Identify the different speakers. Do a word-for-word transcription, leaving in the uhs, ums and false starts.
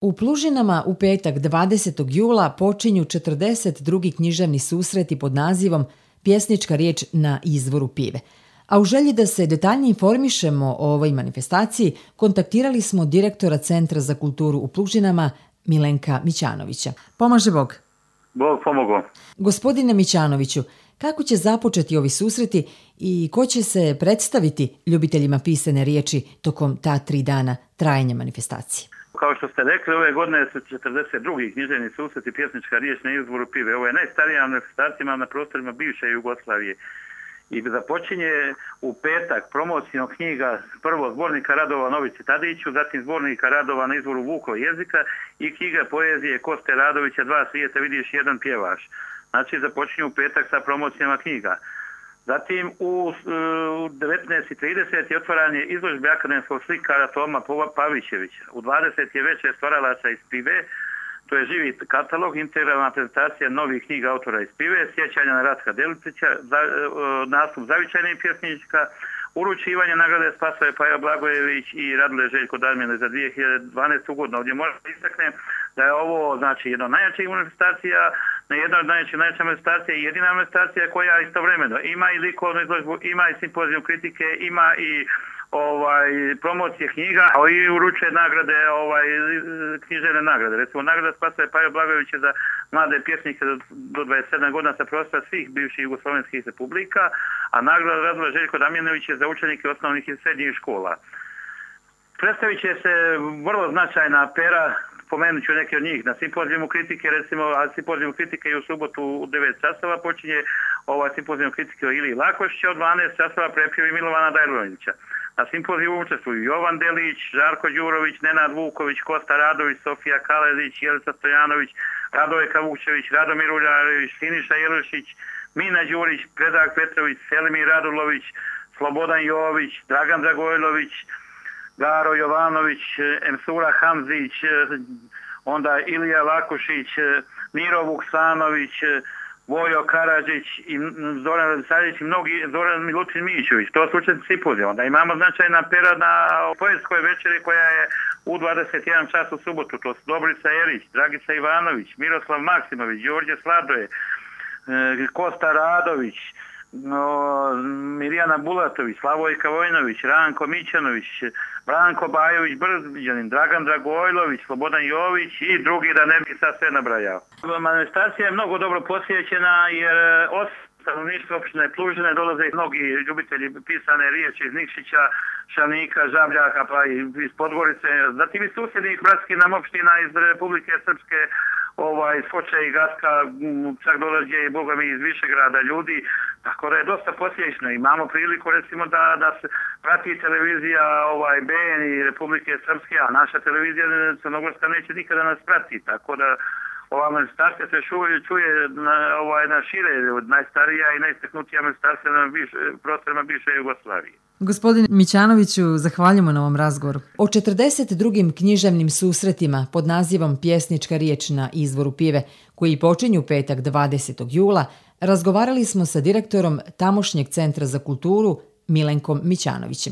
Speaker 1: U Plužinama u petak dvadesetog jula počinju četrdeset drugi književni susreti pod nazivom Pjesnička riječ na izvoru pive. A u želji da se detaljnije informišemo o ovoj manifestaciji, kontaktirali smo direktora Centra za kulturu u Plužinama, Milenka Mićanovića. Pomaže Bog.
Speaker 2: Bog pomogao.
Speaker 1: Gospodine Mićanoviću, kako će započeti ovi susreti i ko će se predstaviti ljubiteljima pisane riječi tokom ta tri dana trajanja manifestacije?
Speaker 2: Kao što ste rekli, ove godine su četrdeset drugi književni susreti Pjesnička riječ na izvoru pive. Ovo je najstarija manifestacija na prostorima bivše Jugoslavije. I započinje u petak promocijom knjiga prvo zbornika radova Novici Tadiću, zatim zbornika radova na izvoru Vukov jezika i knjiga poezije Koste Radovića Dva svijeta vidiš jedan pjevaš. Znači započinju u petak sa promocijama knjiga. Zatim u devetnaest i trideset je otvaranje izložbe akademskog slikara Toma Pavićevića. U dvadeset je večer stvaralaca iz Pive, to je živi katalog, integralna prezentacija novih knjiga autora iz Pive, sjećanja na Ratka Deličića, za, nastup zavičajnih pjesnička, uručivanje nagrade Spasoje Paja Blagojević i Radule Željko Darmine za dvije hiljade dvanaestu godinu. Ovdje možda istaknem da je ovo znači jedna od najjačih manifestacija, jedna od najjačih manifestacija i jedina manifestacija koja istovremeno ima i likovnu izložbu, ima i simpozijum kritike, ima i ovaj promocije knjiga, a i uručuje nagrade, ovaj književne nagrade. Recimo nagrada Spasoje Paja Blagojevića za mlade pjesnike do dvadeset sedam godina sa prostora svih bivših jugoslovenskih republika, a nagrada Radule Željko Damjanović je za učenike osnovnih i srednjih škola. Predstavit će se vrlo značajna pera, pomenut ću neke od njih. Na simpozijumu kritike, recimo, a simpozijumu kritike i u subotu u devet časova počinje ovaj simpozijum kritike o Iliji Lakošića, od dvanaest časova prepjevi Milovana Dajlovića. Na simpozijumu učestvuju Jovan Delić, Žarko Đurović, Nenad Vuković, Kosta Radović, Sofija Kaledić, Jelica Stojanović, Radojka Vukčević, Radomir Uljarević, Siniša Jelušić, Mina Đurić, Predrag Petrović, Selimir Radulović, Slobodan Jović, Dragan Dragojlović, Garo Jovanović, Emsura Hamzić, onda Ilija Lakušić, Miro Vuksanović, Vojo Karadžić i Zoran Radisavljević i mnogi, Zoran Milutin Mićović. To su učesnici simpozija. Onda imamo značajna pera na poetskoj večeri koja je u dvadeset jedan čas u subotu. To su Dobrica Erić, Dragica Ivanović, Miroslav Maksimović, Đorđe Sladoje, Kosta Radović, No, Mirjana Bulatović, Slavojka Vojnović, Ranko Mićanović, Branko Bajović Brđanin, Dragan Dragojlović, Slobodan Jović i drugi, da ne bi sad sve nabrajao. Manifestacija je mnogo dobro posjećena jer osim stanovništva opštine Plužine dolaze mnogi ljubitelji pisane riječi iz Nikšića, Šavnika, Žabljaka pa i iz Podgorice, zatim iz susjednih bratskih nam opština iz Republike Srpske, ovaj, Skoče i Gaska, čak dolaze i Boga mi iz Višegrada ljudi, tako da je dosta posjećeno. Imamo priliku recimo da, da se prati televizija ovaj, B N i Republike Srpske, a naša televizija Crnogorska neće nikada nas prati, tako da ova manifestacija se čuje, čuje na, ovaj, na šire, najstarija i najistaknutija manifestacija na biš, prostorima bivše Jugoslavije.
Speaker 1: Gospodine Mićanoviću, zahvaljujemo na ovom razgovoru. O četrdeset drugim književnim susretima pod nazivom Pjesnička riječ na izvoru pive, koji počinju petak dvadesetog jula, razgovarali smo sa direktorom tamošnjeg Centra za kulturu Milenkom Mićanovićem.